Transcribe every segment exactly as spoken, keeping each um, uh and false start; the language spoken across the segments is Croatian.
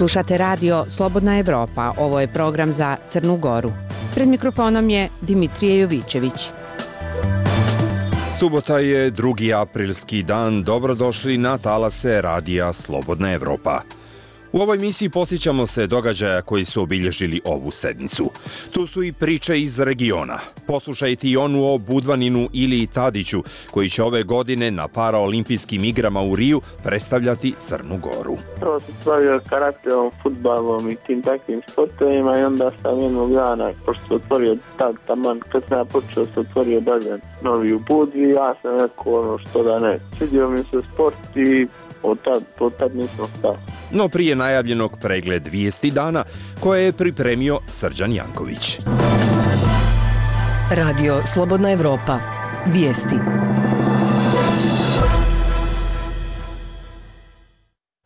Slušate radio Slobodna Evropa, ovo je program za Crnu Goru. Pred mikrofonom je Dimitrije Jovićević. Subota je drugi aprilski dan, dobrodošli na talase radija Slobodna Evropa. U ovoj emisiji posjećamo se događaja koji su obilježili ovu sedmicu. Tu su i priče iz regiona. Poslušajte i onu o Budvaninu Iliji Tadiću, koji će ove godine na paraolimpijskim igrama u Riju predstavljati Crnu Goru. Prvo sam se bavio karateom, fudbalom i tim takvim sportovima i onda sam jednog dana, pošto se otvorio tad taman, kad sam ja počeo se otvorio bazen novi u Budvi, ja sam rekao ono što da ne. Svidio mi se sport i od tad, od tad nisam stao. No prije najavljenog pregled vijesti dana koje je pripremio Srđan Janković. Radio Slobodna Evropa. Vijesti.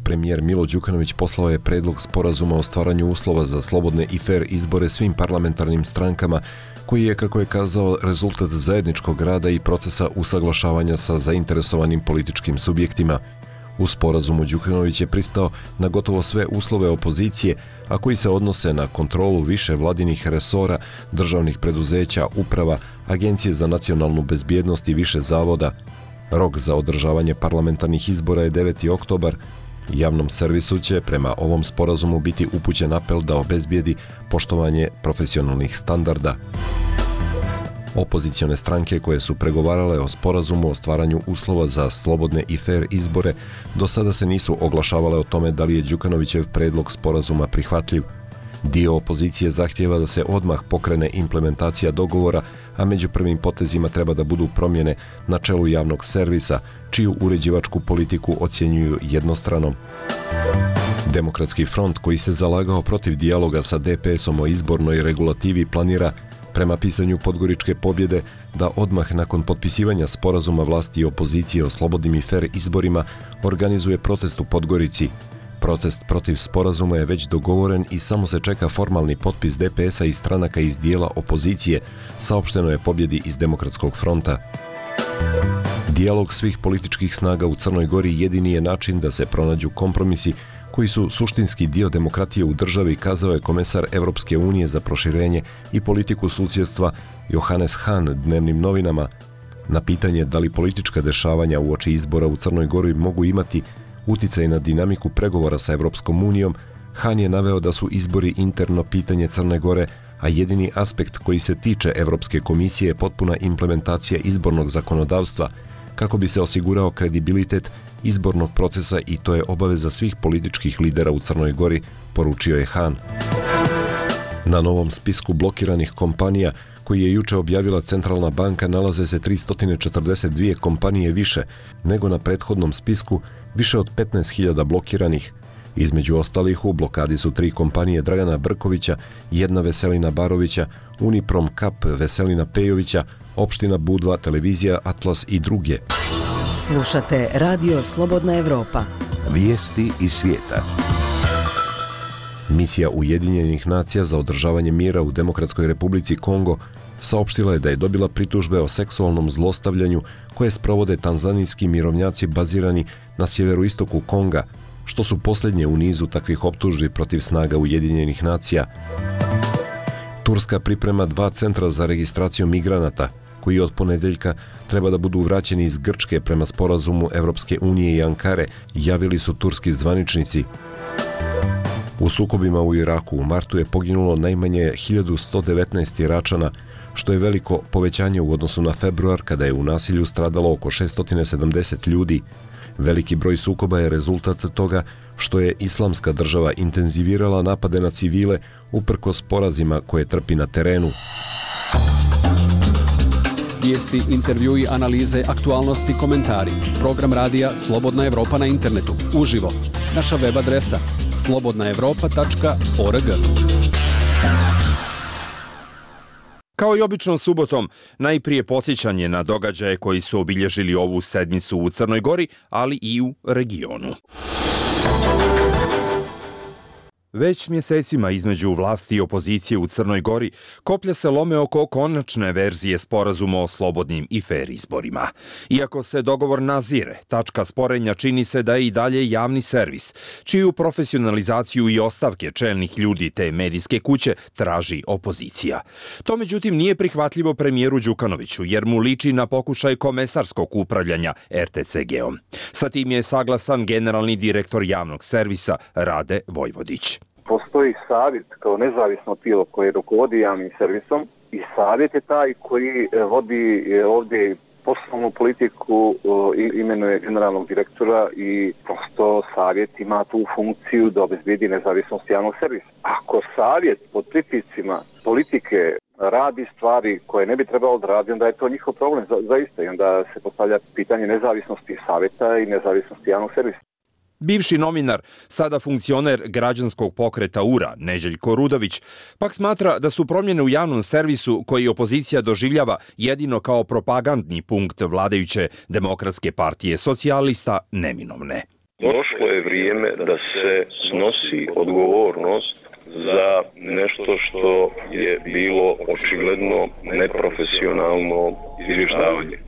Premijer Milo Đukanović poslao je predlog sporazuma o stvaranju uslova za slobodne i fer izbore svim parlamentarnim strankama, koji je, kako je kazao, rezultat zajedničkog rada i procesa usaglašavanja sa zainteresovanim političkim subjektima. U sporazumu Đukanović je pristao na gotovo sve uslove opozicije, a koji se odnose na kontrolu više vladinih resora, državnih preduzeća, uprava, Agencije za nacionalnu bezbjednost i više zavoda. Rok za održavanje parlamentarnih izbora je deveti oktobar. Javnom servisu će prema ovom sporazumu biti upućen apel da obezbijedi poštovanje profesionalnih standarda. Opozicione stranke koje su pregovarale o sporazumu o stvaranju uslova za slobodne i fer izbore do sada se nisu oglašavale o tome da li je Đukanovićev predlog sporazuma prihvatljiv. Dio opozicije zahtijeva da se odmah pokrene implementacija dogovora, a među prvim potezima treba da budu promjene na čelu javnog servisa, čiju uređivačku politiku ocjenjuju jednostranom. Demokratski front, koji se zalagao protiv dijaloga sa de pe esom o izbornoj regulativi, planira, prema pisanju Podgoričke pobjede, da odmah nakon potpisivanja sporazuma vlasti i opozicije o slobodnim i fer izborima organizuje protest u Podgorici. Protest protiv sporazuma je već dogovoren i samo se čeka formalni potpis de pe esa i stranaka iz dijela opozicije, saopšteno je pobjedi iz Demokratskog fronta. Dijalog svih političkih snaga u Crnoj Gori jedini je način da se pronađu kompromisi koji su suštinski dio demokratije u državi, kazao je komesar Evropske unije za proširenje i politiku susjedstva Johannes Hahn dnevnim novinama. Na pitanje da li politička dešavanja uoči izbora u Crnoj Gori mogu imati uticaj na dinamiku pregovora sa Evropskom unijom, Hahn je naveo da su izbori interno pitanje Crne Gore, a jedini aspekt koji se tiče Evropske komisije je potpuna implementacija izbornog zakonodavstva, kako bi se osigurao kredibilitet izbornog procesa, i to je obaveza svih političkih lidera u Crnoj Gori, poručio je Hahn. Na novom spisku blokiranih kompanija, koji je juče objavila Centralna banka, nalaze se tristo četrdeset dvije kompanije više nego na prethodnom spisku, više od petnaest hiljada blokiranih. Između ostalih u blokadi su tri kompanije Dragana Brkovića, jedna Veselina Barovića, Uniprom Kap Veselina Pejovića, opština Budva, televizija Atlas i druge. Slušate radio Slobodna Evropa. Vijesti iz svijeta. Misija Ujedinjenih nacija za održavanje mira u Demokratskoj Republici Kongo saopštila je da je dobila pritužbe o seksualnom zlostavljanju koje sprovode tanzanijski mirovnjaci bazirani na sjeveroistoku Konga, što su posljednje u nizu takvih optužbi protiv snaga Ujedinjenih nacija. Turska priprema dva centra za registraciju migranata, koji od ponedeljka treba da budu vraćeni iz Grčke prema sporazumu Evropske unije i Ankare, javili su turski zvaničnici. U sukobima u Iraku u martu je poginulo najmanje hiljadu sto devetnaest Iračana, što je veliko povećanje u odnosu na februar, kada je u nasilju stradalo oko šesto sedamdeset ljudi. Veliki broj sukoba je rezultat toga što je Islamska država intenzivirala napade na civile uprkos porazima koje trpi na terenu. Vijesti, intervjui, analize, aktualnosti, komentari. Program radija Slobodna Evropa na internetu. Uživo. Naša web adresa slobodna evropa tačka org. Kao i obično subotom, najprije podsjećanje na događaje koji su obilježili ovu sedmicu u Crnoj Gori, ali i u regionu. Već mjesecima između vlasti i opozicije u Crnoj Gori koplja se lome oko konačne verzije sporazuma o slobodnim i fer izborima. Iako se dogovor nazire, tačka sporenja čini se da je i dalje javni servis, čiju profesionalizaciju i ostavke čelnih ljudi te medijske kuće traži opozicija. To međutim nije prihvatljivo premijeru Đukanoviću, jer mu liči na pokušaj komesarskog upravljanja er te ce ge-om. Sa tim je saglasan generalni direktor javnog servisa Rade Vojvodić. Postoji savjet kao nezavisno tijelo koje rukovodi javnim servisom i savjet je taj koji vodi ovdje poslovnu politiku, imenuje generalnog direktora i prosto savjet ima tu funkciju da obezbedi nezavisnost javnog servisa. Ako savjet pod pritiscima politike radi stvari koje ne bi trebalo da radi, onda je to njihov problem za, zaista i onda se postavlja pitanje nezavisnosti savjeta i nezavisnosti javnog servisa. Bivši novinar, sada funkcioner građanskog pokreta U R A, Neželjko Rudović, pak smatra da su promjene u javnom servisu koji opozicija doživljava jedino kao propagandni punkt vladajuće Demokratske partije socijalista neminovne. Došlo je vrijeme da se snosi odgovornost za nešto što je bilo očigledno neprofesionalno izvještavanje.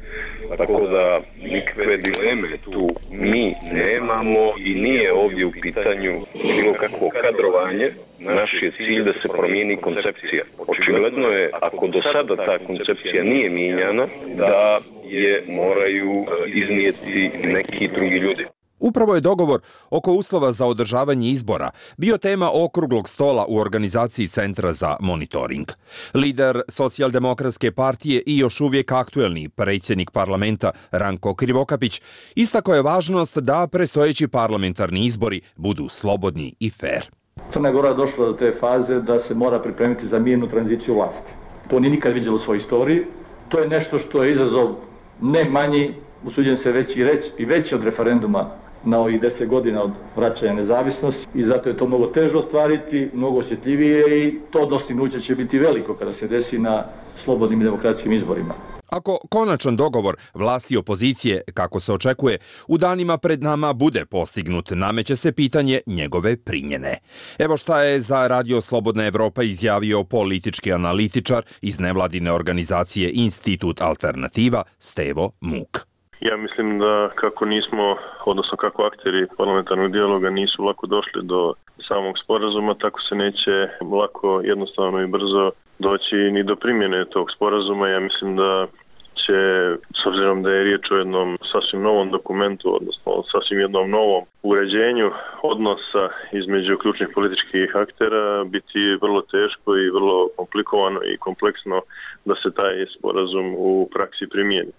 Tako da nikakve dileme tu mi nemamo i nije ovdje u pitanju bilo kakvo kadrovanje. Naš je cilj da se promijeni koncepcija. Očigledno je, ako do sada ta koncepcija nije mijenjana, da je moraju iznijeti neki drugi ljudi. Upravo je dogovor oko uslova za održavanje izbora bio tema okruglog stola u organizaciji Centra za monitoring. Lider Socijaldemokratske partije i još uvijek aktuelni predsjednik parlamenta Ranko Krivokapić istakao je važnost da predstojeći parlamentarni izbori budu slobodni i fer. Crna Gora je došla do te faze da se mora pripremiti za mirnu tranziciju vlasti. To nije nikad viđelo u svojoj istoriji. To je nešto što je izazov ne manji, usuđujem se veći reći, i veći od referenduma na ovih deset godina od vraćanja nezavisnosti i zato je to mnogo teže ostvariti, mnogo osjetljivije i to dostignuće će biti veliko kada se desi na slobodnim i demokratskim izborima. Ako konačan dogovor vlasti i opozicije, kako se očekuje, u danima pred nama bude postignut, nameće se pitanje njegove primjene. Evo šta je za Radio Slobodna Evropa izjavio politički analitičar iz nevladine organizacije Institut Alternativa Stevo Muk. Ja mislim da kako nismo, odnosno kako akteri parlamentarnog dijaloga nisu lako došli do samog sporazuma, tako se neće lako, jednostavno i brzo doći ni do primjene tog sporazuma. Ja mislim da će, s obzirom da je riječ o jednom sasvim novom dokumentu, odnosno sasvim jednom novom uređenju odnosa između ključnih političkih aktera, biti vrlo teško i vrlo komplikovano i kompleksno da se taj sporazum u praksi primijeni.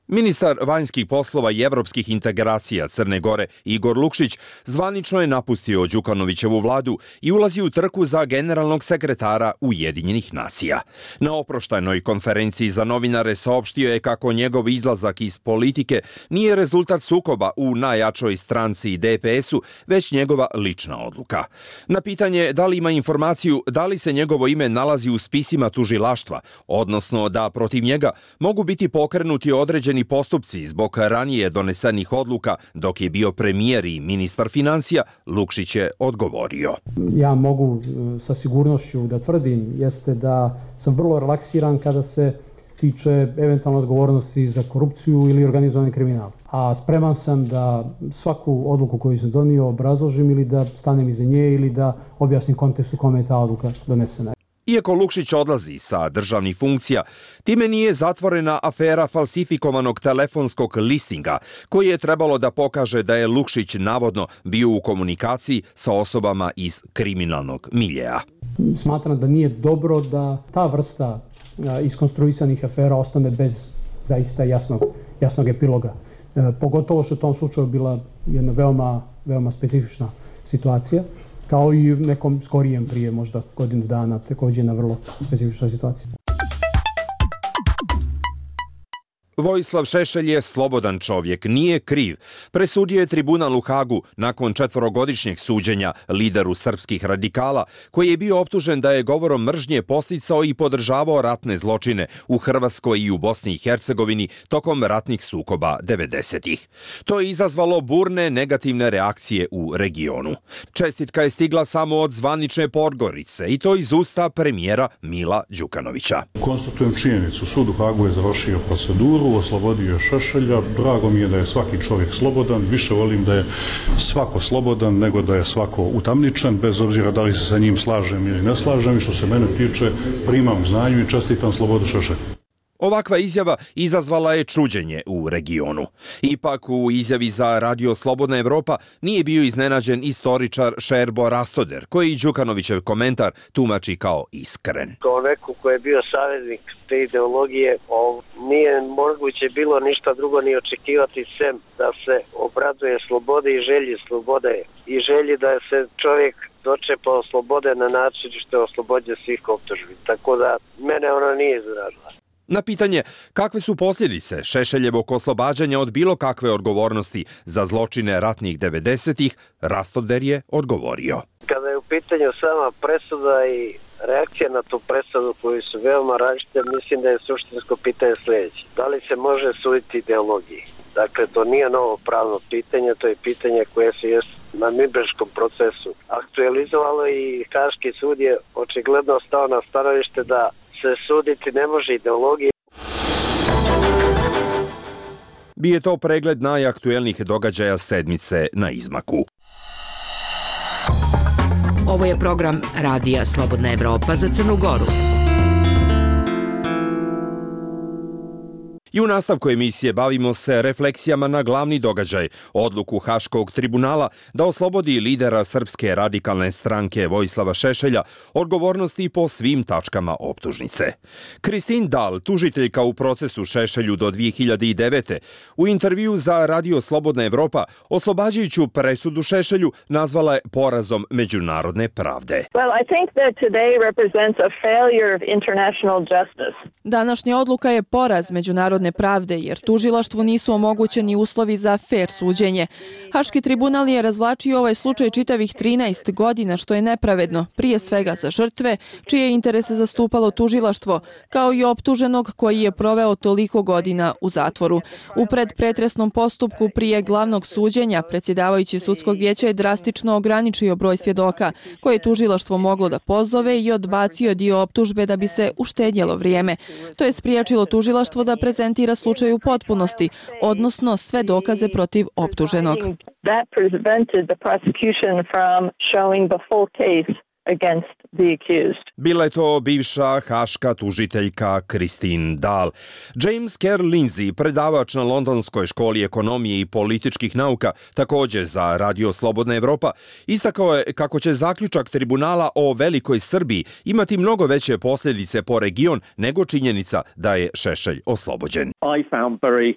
Ministar vanjskih poslova i evropskih integracija Crne Gore Igor Lukšić zvanično je napustio Đukanovićevu vladu i ulazi u trku za generalnog sekretara Ujedinjenih nacija. Na oproštajnoj konferenciji za novinare saopštio je kako njegov izlazak iz politike nije rezultat sukoba u najjačoj stranci de pe es-u, već njegova lična odluka. Na pitanje da li ima informaciju da li se njegovo ime nalazi u spisima tužilaštva, odnosno da protiv njega mogu biti pokrenuti određeni postupci zbog ranije donesenih odluka dok je bio premijer i ministar financija, Lukšić je odgovorio. Ja mogu sa sigurnošću da tvrdim jeste da sam vrlo relaksiran kada se tiče eventualne odgovornosti za korupciju ili organizovani kriminal. A spreman sam da svaku odluku koju sam donio obrazložim ili da stanem iza nje ili da objasnim kontekst u kome je ta odluka donesena. Iako Lukšić odlazi sa državnih funkcija, time nije zatvorena afera falsifikovanog telefonskog listinga, koji je trebalo da pokaže da je Lukšić navodno bio u komunikaciji sa osobama iz kriminalnog miljeja. Smatram da nije dobro da ta vrsta iskonstruisanih afera ostane bez zaista jasnog, jasnog epiloga. Pogotovo što u tom slučaju bila jedna veoma, veoma specifična situacija, kao i u nekom skorijem prije možda godinu dana, također na vrlo specifična situacija. Vojislav Šešelj je slobodan čovjek, nije kriv. Presudio je tribunal u Hagu nakon četvorogodišnjeg suđenja lideru srpskih radikala, koji je bio optužen da je govorom mržnje podsticao i podržavao ratne zločine u Hrvatskoj i u Bosni i Hercegovini tokom ratnih sukoba devedesetih. To je izazvalo burne negativne reakcije u regionu. Čestitka je stigla samo od zvanične Podgorice i to iz usta premijera Mila Đukanovića. Konstatujem činjenicu, sud u Hagu je završio proceduru, oslobodio je Šešelja. Drago mi je da je svaki čovjek slobodan, više volim da je svako slobodan nego da je svako utamničen, bez obzira da li se sa njim slažem ili ne slažem, i što se mene tiče primam znanju i čestitam slobodu Šešelju. Ovakva izjava izazvala je čuđenje u regionu. Ipak u izjavi za Radio Slobodna Evropa nije bio iznenađen istoričar Šerbo Rastoder, koji Đukanovićev komentar tumači kao iskren. Kao neko ko je bio saveznik te ideologije, nije moguće bilo ništa drugo ni očekivati sem da se obraduje slobode i želji slobode i želji da se čovjek dočepao slobode na način što je oslobođen svih optužbi. Tako da mene ona nije izrazila. Na pitanje kakve su posljedice Šešeljevog oslobađanja od bilo kakve odgovornosti za zločine ratnih devedesetih, Rastoder je odgovorio. Kada je u pitanju sama presuda i reakcija na tu presudu koji su veoma različite, mislim da je suštinsko pitanje sljedeće. Da li se može suditi ideologiji? Dakle, to nije novo pravno pitanje, to je pitanje koje se je na Nürnberškom procesu aktualizovalo i Haški sud je očigledno stao na stanovište da se suditi ne može ideologije. Bio je to pregled najaktuelnijih događaja sedmice na izmaku. Ovo je program Radija Slobodna Evropa za Crnu Goru. I u nastavku emisije bavimo se refleksijama na glavni događaj, odluku Haškog tribunala da oslobodi lidera Srpske radikalne stranke Vojislava Šešelja odgovornosti po svim tačkama optužnice. Kristin Dal, tužiteljka u procesu Šešelju do dvije hiljade devete. u intervju za Radio Slobodna Evropa oslobađajuću presudu Šešelju nazvala je porazom međunarodne pravde. Well, I think that today represents a failure of international justice. Današnja odluka je poraz međunarodne pravde jer tužilaštvu nisu omogućeni uslovi za fer suđenje. Haški tribunal je razvlačio ovaj slučaj čitavih trinaest godina, što je nepravedno, prije svega za žrtve, čije interese zastupalo tužilaštvo, kao i optuženog koji je proveo toliko godina u zatvoru. U predpretresnom postupku prije glavnog suđenja, predsjedavajući sudskog vijeća je drastično ograničio broj svjedoka, koje je tužilaštvo moglo da pozove i odbacio dio optužbe da bi se uštedjelo vrijeme. To je spriječilo tužilaštvo da prezentira slučaj u potpunosti, odnosno sve dokaze protiv optuženog. That prevented the prosecution from showing the full case against the accused. Bila je to bivša haška tužiteljka Kristin Dal. James Kerr Lindsay, predavač na Londonskoj školi ekonomije i političkih nauka, također za Radio Slobodna Evropa, istakao je kako će zaključak tribunala o Velikoj Srbiji imati mnogo veće posljedice po region nego činjenica da je Šešelj oslobođen. I found very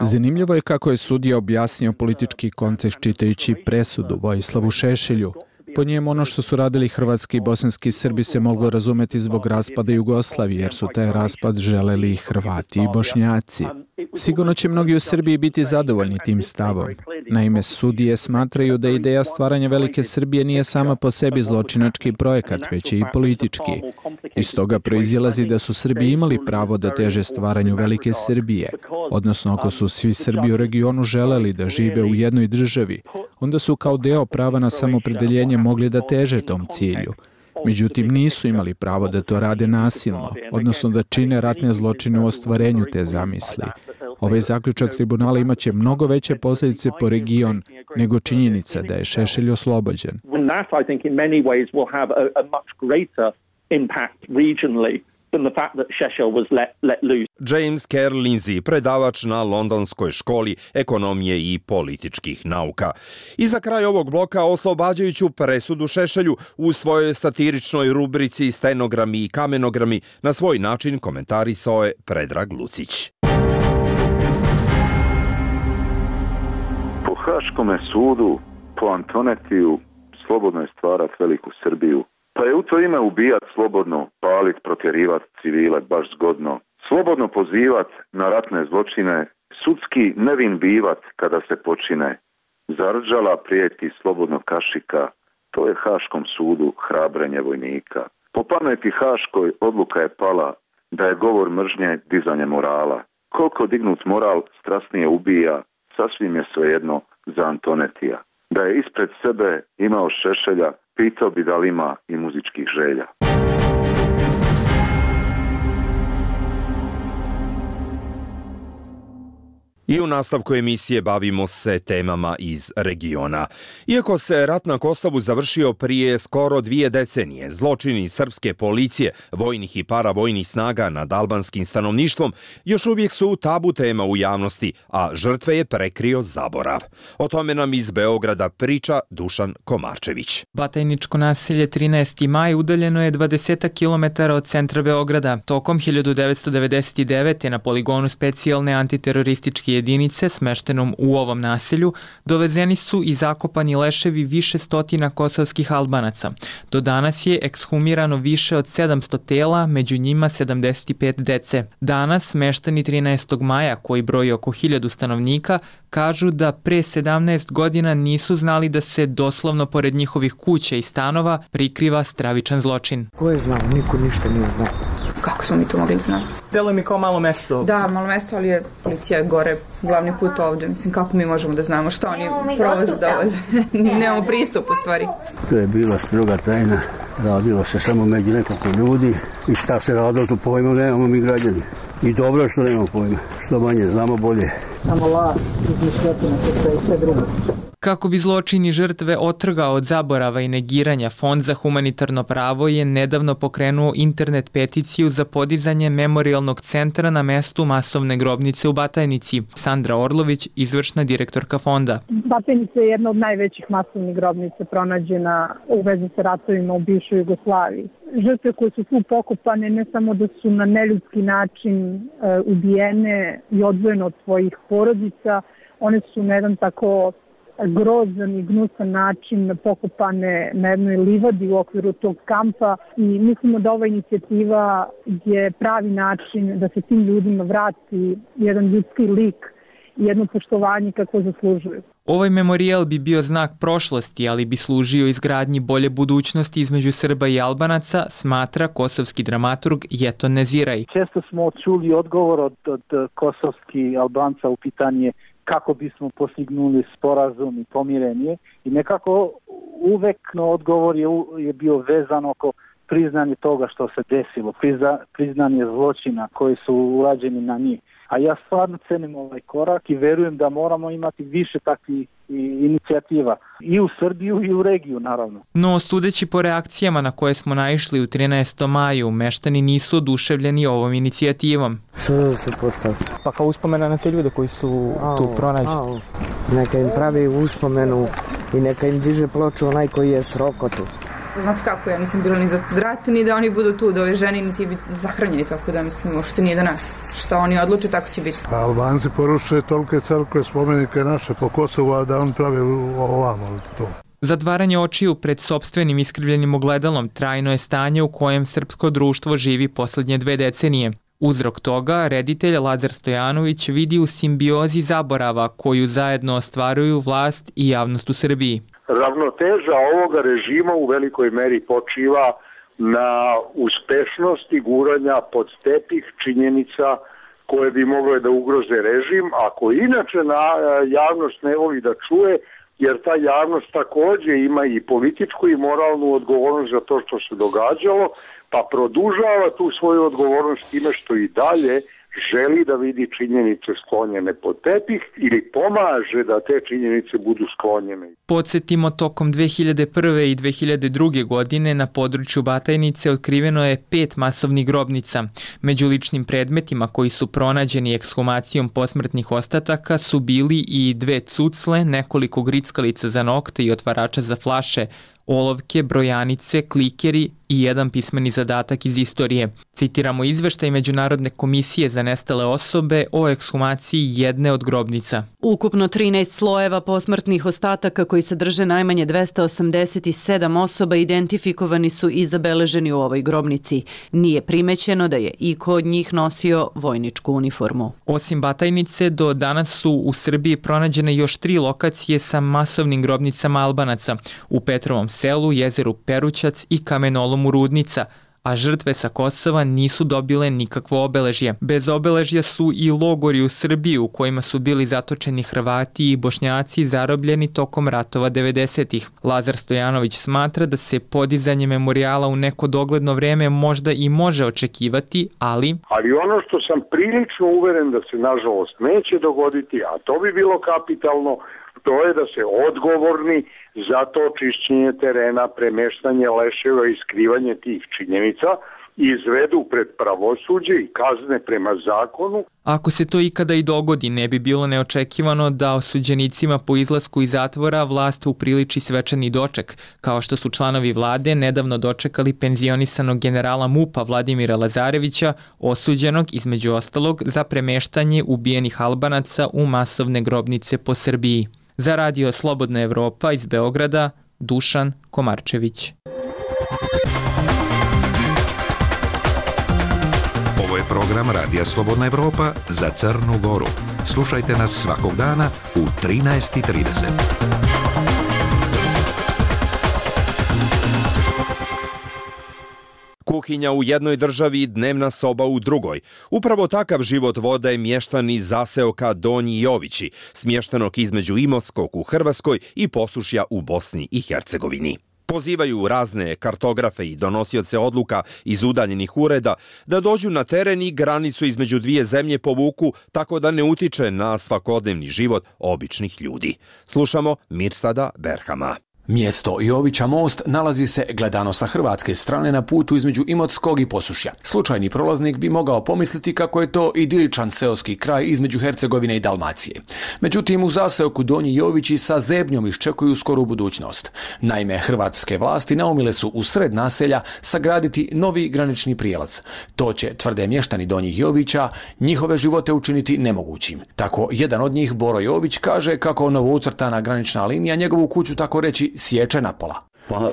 Zanimljivo je kako je sudija objasnio politički kontekst čitajući presudu Vojislavu Šešelju. Po njemu ono što su radili hrvatski i bosanski Srbi se moglo razumeti zbog raspada Jugoslavije, jer su taj raspad želeli i Hrvati i Bošnjaci. Sigurno će mnogi u Srbiji biti zadovoljni tim stavom. Naime, sudije smatraju da ideja stvaranja Velike Srbije nije sama po sebi zločinački projekat, već je i politički. Iz toga proizilazi da su Srbi imali pravo da teže stvaranju Velike Srbije, odnosno ako su svi Srbi u regionu želeli da žive u jednoj državi, onda su kao deo prava na samopredeljenje mogli da teže tom cilju. Međutim, nisu imali pravo da to rade nasilno, odnosno da čine ratne zločine u ostvarenju te zamisli. Ovaj zaključak tribunala imaće mnogo veće posljedice po region nego činjenica da je Šešelj oslobođen. James Kerr Lindsay, predavač na Londonskoj školi ekonomije i političkih nauka. I za kraj ovog bloka oslobađajuću presudu Šešelju u svojoj satiričnoj rubrici Stenogrami i kamenogrami na svoj način komentarisao je Predrag Lucić. Po Haškome sudu, po Antonetiju, slobodno je stvarati Veliku Srbiju. Pa je u to ime ubijat slobodno, palit, protjerivat civile baš zgodno. Slobodno pozivat na ratne zločine, sudski nevin bivat kada se počine. Zarđala prijeti slobodnog kašika, to je Haškom sudu hrabrenje vojnika. Po pameti Haškoj odluka je pala da je govor mržnje dizanje morala. Koliko dignut moral strasnije ubija, sasvim je svejedno za Antonetija. Da je ispred sebe imao Šešelja, pitao bi da li ima i muzičkih želja. I u nastavku emisije bavimo se temama iz regiona. Iako se rat na Kosovu završio prije skoro dvije decenije, zločini srpske policije, vojnih i paravojnih snaga nad albanskim stanovništvom još uvijek su tabu tema u javnosti, a žrtve je prekrio zaborav. O tome nam iz Beograda priča Dušan Komarčević. Batajničko naselje trinaesti maj udaljeno je dvadeset kilometara od centra Beograda. Tokom hiljadu devetsto devedeset devete. na poligonu specijalne antiterorističke jedinice smeštenom u ovom naselju dovezeni su i zakopani leševi više stotina kosovskih Albanaca. Do danas je ekshumirano više od sedamsto tela, među njima sedamdeset pet dece. Danas meštani trinaestog maja, koji broji oko hiljadu stanovnika, kažu da pre sedamnaest godina nisu znali da se doslovno pored njihovih kuća i stanova prikriva stravičan zločin. Ko je znao? Niko ništa nije znao. Kako smo mi to mogli znati? Delo mi kao malo mesto. Da, malo mesto, ali je policija gore, glavni put ovdje. Mislim, kako mi možemo da znamo što oni prolaze, dolaze. Nemamo pristup u stvari. To je bila stroga tajna. Radilo se samo među nekoliko ljudi i šta se radilo, to pojma nemamo mi građani. I dobro što nemamo pojma. Što manje znamo, bolje. Samo laž, izmišljotina, to je sve drugo. Kako bi zločini žrtve otrgao od zaborava i negiranja, Fond za humanitarno pravo je nedavno pokrenuo internet peticiju za podizanje memorijalnog centra na mestu masovne grobnice u Batajnici. Sandra Orlović, izvršna direktorka fonda. Batajnica je jedna od najvećih masovnih grobnica pronađena u vezi sa ratovima u bivšoj Jugoslaviji. Žrtve koje su tu pokopane ne samo da su na neljudski način e, ubijene i odvojene od svojih porodica, one su na jedan tako grozan i gnusan način pokopane na jednoj livadi u okviru tog kampa i mislimo da ova inicijativa je pravi način da se tim ljudima vrati jedan ljudski lik i jedno poštovanje kako zaslužuju. Ovaj memorijal bi bio znak prošlosti, ali bi služio izgradnji bolje budućnosti između Srba i Albanaca, smatra kosovski dramaturg Jeton Neziraj. Često smo čuli odgovor od, od kosovskih Albanca u pitanje kako bismo postignuli sporazum i pomirenje i nekako uvek no odgovor je, je bio vezan oko priznanje toga što se desilo, prizna, priznanje zločina koji su urađeni na njih. A ja stvarno cenim ovaj korak i verujem da moramo imati više takvih inicijativa i u Srbiju i u regiju, naravno. No, sudeći po reakcijama na koje smo naišli u trinaestom maju, meštani nisu oduševljeni ovom inicijativom. Što da se postavi? Pa kao uspomena na te ljude koji su au, tu pronađeni. Au. Neka im pravi uspomenu i neka im diže ploču onaj koji je s rokotu. Znate kako, ja nisam bila ni za rat, ni da oni budu tu, da ove žene niti biti zahranjeni, tako da mislim, uopšte nije do nas. Šta oni odluče, tako će biti. Albanci poručuje tolike crkve, spomenike naše po Kosovu, a da on pravi ovamo to. Zatvaranje očiju pred sopstvenim iskrivljenim ogledalom trajno je stanje u kojem srpsko društvo živi posljednje dve decenije. Uzrok toga reditelj Lazar Stojanović vidi u simbiozi zaborava koju zajedno ostvaruju vlast i javnost u Srbiji. Ravnoteža ovoga režima u velikoj meri počiva na uspešnosti guranja pod tepih činjenica koje bi mogle da ugroze režim, ako inače na javnost ne voli da čuje, jer ta javnost također ima i političku i moralnu odgovornost za to što se događalo, pa produžava tu svoju odgovornost time što i dalje želi da vidi činjenice sklonjene pod tepih ili pomaže da te činjenice budu sklonjene. Podsjetimo, tokom dve hiljade prve i dve hiljade druge. godine na području Batajnice otkriveno je pet masovnih grobnica. Među ličnim predmetima koji su pronađeni ekshumacijom posmrtnih ostataka su bili i dve cucle, nekoliko grickalica za nokte i otvarača za flaše, olovke, brojanice, klikeri i jedan pismeni zadatak iz istorije. Citiramo izveštaj Međunarodne komisije za nestale osobe o ekshumaciji jedne od grobnica. Ukupno trinaest slojeva posmrtnih ostataka koji sadrže najmanje dvesta osamdeset sedam osoba identifikovani su i zabeleženi u ovoj grobnici. Nije primećeno da je iko od njih nosio vojničku uniformu. Osim Batajnice, do danas su u Srbiji pronađene još tri lokacije sa masovnim grobnicama Albanaca u Petrovom selu, jezeru Perućac i kamenolomu Rudnica, a žrtve sa Kosova nisu dobile nikakvo obeležje. Bez obeležja su i logori u Srbiji u kojima su bili zatočeni Hrvati i Bošnjaci zarobljeni tokom ratova devedesetih. Lazar Stojanović smatra da se podizanje memorijala u neko dogledno vreme možda i može očekivati, ali... Ali ono što sam prilično uveren da se nažalost neće dogoditi, a to bi bilo kapitalno, to je da se odgovorni za to čišćenje terena, premeštanje leševa i skrivanje tih činjenica izvedu pred pravosuđe i kazne prema zakonu. Ako se to ikada i dogodi, ne bi bilo neočekivano da osuđenicima po izlasku iz zatvora vlast upriliči svečani doček, kao što su članovi vlade nedavno dočekali penzionisanog generala MUP-a Vladimira Lazarevića, osuđenog između ostalog za premeštanje ubijenih Albanaca u masovne grobnice po Srbiji. Za radio Slobodna Evropa iz Beograda, Dušan Komarčević. Ovo je program Radija Slobodna Evropa za Crnu Goru. Slušajte nas svakog dana u trinaest i trideset. Kuhinja u jednoj državi, dnevna soba u drugoj. Upravo takav život vode mještani zaseoka Donji Jovići, smještenog između Imotskog u Hrvatskoj i Posušja u Bosni i Hercegovini. Pozivaju razne kartografe i donosioce odluka iz udaljenih ureda da dođu na teren i granicu između dvije zemlje povuku tako da ne utiče na svakodnevni život običnih ljudi. Slušamo Mirsada Berhama. Mjesto Jovića most nalazi se gledano sa hrvatske strane na putu između Imotskog i Posušja. Slučajni prolaznik bi mogao pomisliti kako je to idiličan seoski kraj između Hercegovine i Dalmacije. Međutim, u zaseoku Donji Jovići sa zebnjom iščekuju skoru budućnost. Naime, hrvatske vlasti naumile su u sred naselja sagraditi novi granični prijelaz. To će, tvrde mještani Donjih Jovića, njihove živote učiniti nemogućim. Tako, jedan od njih, Boro Jović, kaže kako novoucrtana granična linija njegovu kuću tako reći sječe napola. Pa,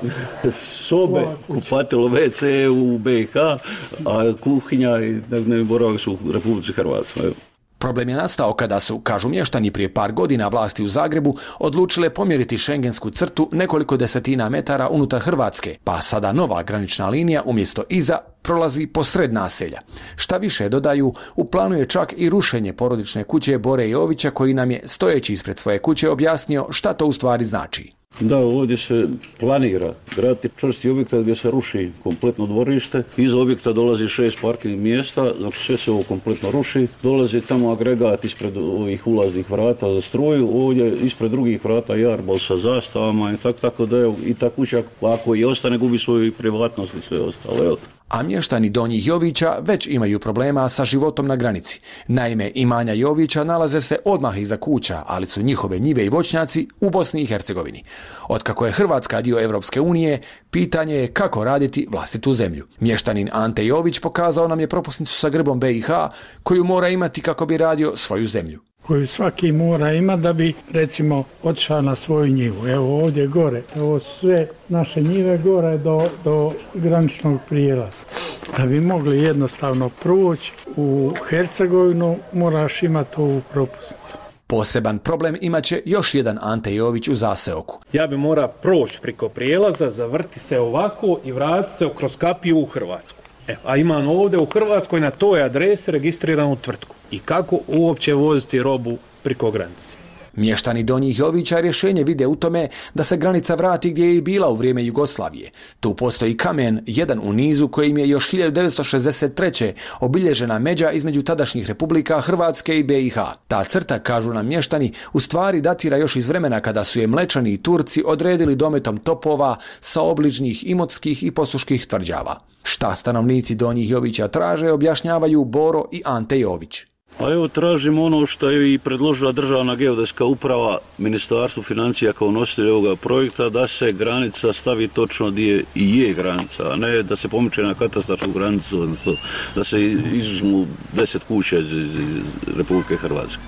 sobe, kupatilo, ve ce u be i ha, a kuhinja i dnevni boravak su u Republici Hrvatskoj. Problem je nastao kada su, kažu mještani, prije par godina vlasti u Zagrebu odlučile pomjeriti šengensku crtu nekoliko desetina metara unutar Hrvatske, pa sada nova granična linija umjesto iza prolazi posred naselja. Šta više, dodaju, u planu je čak i rušenje porodične kuće Bore Jovića, koji nam je, stojeći ispred svoje kuće, objasnio šta to u stvari znači. Da, ovdje se planira graditi čvrsti objekat gdje se ruši kompletno dvorište. Iza objekta dolazi šest parkingnih mjesta, znači sve se ovo kompletno ruši. Dolazi tamo agregat ispred ovih ulaznih vrata za struju, ovdje ispred drugih vrata jarbol sa zastavama i tako, tako da je i ta kuća, ako i ostane, gubi svoju privatnost i sve ostalo. A mještani Donjih Jovića već imaju problema sa životom na granici. Naime, imanja Jovića nalaze se odmah iza kuća, ali su njihove njive i voćnjaci u Bosni i Hercegovini. Otkako je Hrvatska dio Evropske unije, pitanje je kako raditi vlastitu zemlju. Mještanin Ante Jović pokazao nam je propusnicu sa grbom be i ha koju mora imati kako bi radio svoju zemlju. Koju svaki mora imati da bi, recimo, otišao na svoju njivu. Evo ovdje gore, ovo sve naše njive gore do, do graničnog prijelaza. Da bi mogli jednostavno proći u Hercegovinu, moraš imati ovu propusnicu. Poseban problem imaće još jedan Ante Jović u zaseoku. Ja bi mora proći preko prijelaza, zavrti se ovako i vratiti se kroz kapiju u Hrvatsku. Evo, a imam ovdje u Hrvatskoj na toj adresi registriranu tvrtku. I kako uopće voziti robu preko granice? Mještani Donjih Jovića rješenje vide u tome da se granica vrati gdje je i bila u vrijeme Jugoslavije. Tu postoji kamen, jedan u nizu, kojim je još hiljadu devetsto šezdeset treće obilježena međa između tadašnjih republika Hrvatske i be i ha. Ta crta, kažu nam mještani, u stvari datira još iz vremena kada su je Mlečani i Turci odredili dometom topova sa obližnjih imotskih i posuških tvrđava. Šta stanovnici Donjih Jovića traže, objašnjavaju Boro i Ante Jović. A evo tražimo ono što je i predložila Državna geodetska uprava Ministarstvu financija kao nositelj ovoga projekta, da se granica stavi točno gdje i je granica, a ne da se pomiče na katastarsku granicu, odnosno da se izuzmu deset kuća iz, iz Republike Hrvatske.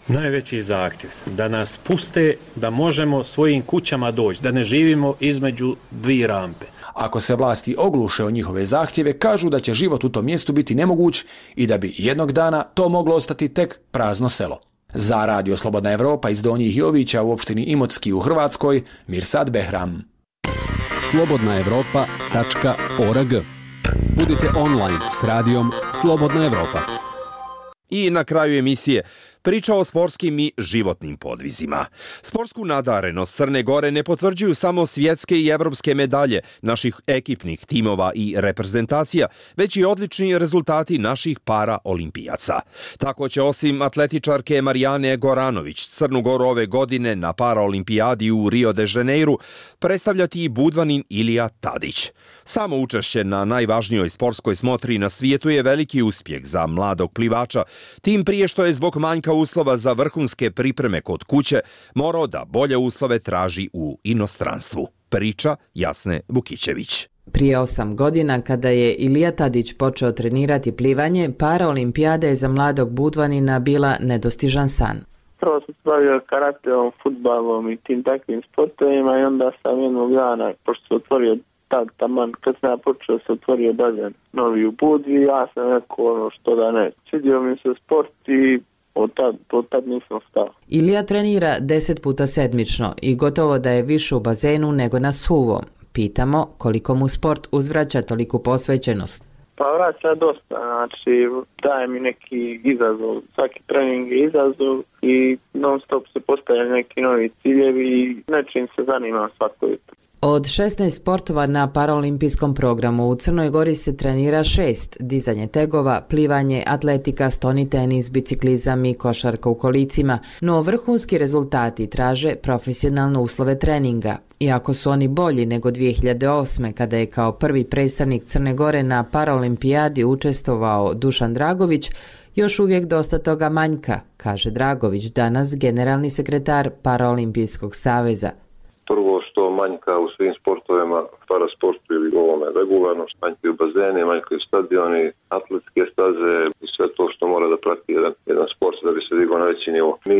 Najveći zahtjev da nas puste da možemo svojim kućama doći, da ne živimo između dvije rampe. Ako se vlasti ogluše o njihove zahtjeve, kažu da će život u tom mjestu biti nemoguć i da bi jednog dana to moglo ostati tek prazno selo. Za Radio Slobodna Evropa iz Donjih Jovića u opštini Imotski u Hrvatskoj, Mirsad Behram. slobodna evropa tačka org. Budite online s radijom Slobodna Evropa. I na kraju emisije priča o sportskim i životnim podvizima. Sportsku nadarenost Crne Gore ne potvrđuju samo svjetske i evropske medalje naših ekipnih timova i reprezentacija, već i odlični rezultati naših paraolimpijaca. Tako će osim atletičarke Marijane Goranović Crnu Goru ove godine na paraolimpijadi u Rio de Janeiru predstavljati i budvanin Ilija Tadić. Samo učešće na najvažnijoj sportskoj smotri na svijetu je veliki uspjeh za mladog plivača, tim prije što je zbog manjka uslova za vrhunske pripreme kod kuće morao da bolje uslove traži u inostranstvu. Priča Jasne Vukićević. Prije osam godina, kada je Ilija Tadić počeo trenirati plivanje, paraolimpijada je za mladog budvanina bila nedostižan san. Prvo sam se bavio karateom, fudbalom i tim takvim sportovima i onda sam jednog dana, pošto se otvorio tad taman, kad sam ja počeo se otvorio bazen novi u Budvi, ja sam rekao ono što da ne. Svidio mi se sport i od tad, od tad nisam stao. Ilija trenira deset puta sedmično i gotovo da je više u bazenu nego na suvom. Pitamo koliko mu sport uzvraća toliku posvećenost. Pa vraća dosta, znači daje mi neki izazov, svaki trening je izazov i non stop se postavljaju neki novi ciljevi i nečim se zanimam svako jutro. Od šesnaest sportova na paraolimpijskom programu u Crnoj Gori se trenira šest: dizanje tegova, plivanje, atletika, stoni tenis, biciklizam i košarka u kolicima, no vrhunski rezultati traže profesionalne uslove treninga. Iako su oni bolji nego dvije hiljade osme kada je kao prvi predstavnik Crne Gore na paraolimpijadi učestvovao Dušan Dragović, još uvijek dosta toga manjka, kaže Dragović, danas generalni sekretar Paraolimpijskog saveza. Prvo što manjka u svim sportovima, parasportu ili ovome regularno, manjkaju bazeni, manjkaju stadioni, atletske staze i sve to što mora da prati jedan, jedan sport da bi se digao na veći nivo. Mi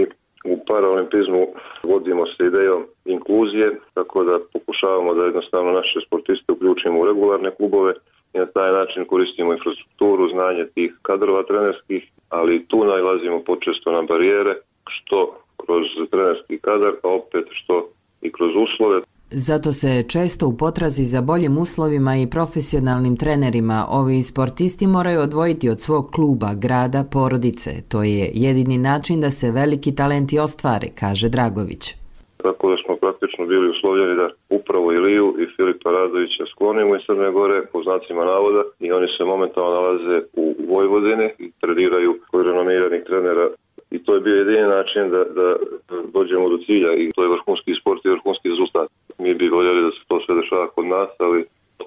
u paraolimpizmu vodimo se idejom inkluzije, tako da pokušavamo da jednostavno naše sportiste uključimo u regularne klubove i na taj način koristimo infrastrukturu, znanje tih kadrova trenerskih, ali tu nailazimo počesto na barijere, što kroz trenerski kadar, a opet što i kroz uslove. Zato se često u potrazi za boljim uslovima i profesionalnim trenerima ovi sportisti moraju odvojiti od svog kluba, grada, porodice. To je jedini način da se veliki talenti ostvare, kaže Dragović. Tako da smo praktično bili uslovljeni da upravo Iliju i Filipa Radovića sklonimo iz Crne Gore po znacima navoda i oni se momentalno nalaze u Vojvodini i treniraju kod renomiranih trenera. I to je bio jedini način da, da dođemo do cilja i to je vrhunski sport i vrhunski rezultat. Mi bi voljeli da se to sve dešava kod nas, ali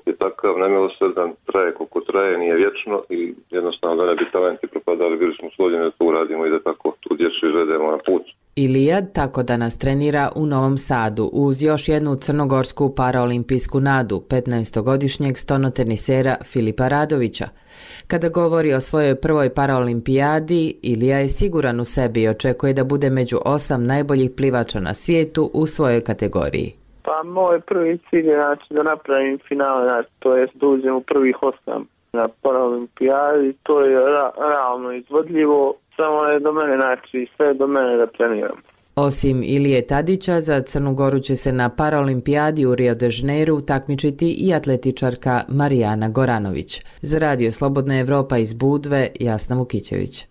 je takav nemilosrdan, traje koliko traje, nije vječno i jednostavno da ne bi talenti propadali, bili smo uslovljeni da to uradimo i da tako tu djecu izvedemo na put. Ilija tako danas trenira u Novom Sadu uz još jednu crnogorsku paraolimpijsku nadu, petnaestogodišnjeg stonotenisera Filipa Radovića. Kada govori o svojoj prvoj paraolimpijadi, Ilija je siguran u sebi i očekuje da bude među osam najboljih plivača na svijetu u svojoj kategoriji. Pa moj prvi cilj je znači, da napravim finale, znači, to je da uđem u prvih osam na paraolimpijadi, to je ra- realno izvodljivo, samo je do mene, znači sve je do mene da treniram. Osim Ilije Tadića, za Crnu Goru će se na paraolimpijadi u Rio de Janeiru takmičiti i atletičarka Marijana Goranović. Za Radio Slobodna Evropa iz Budve, Jasna Vukićević.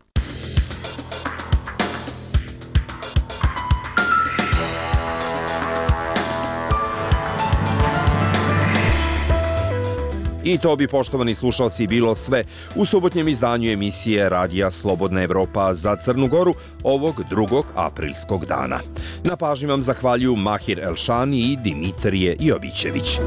I to bi, poštovani slušalci, bilo sve u subotnjem izdanju emisije Radija Slobodna Evropa za Crnu Goru ovog drugog aprilskog dana. Na pažnji vam zahvaljuju Mahir Elšani i Dimitrije Jovićević.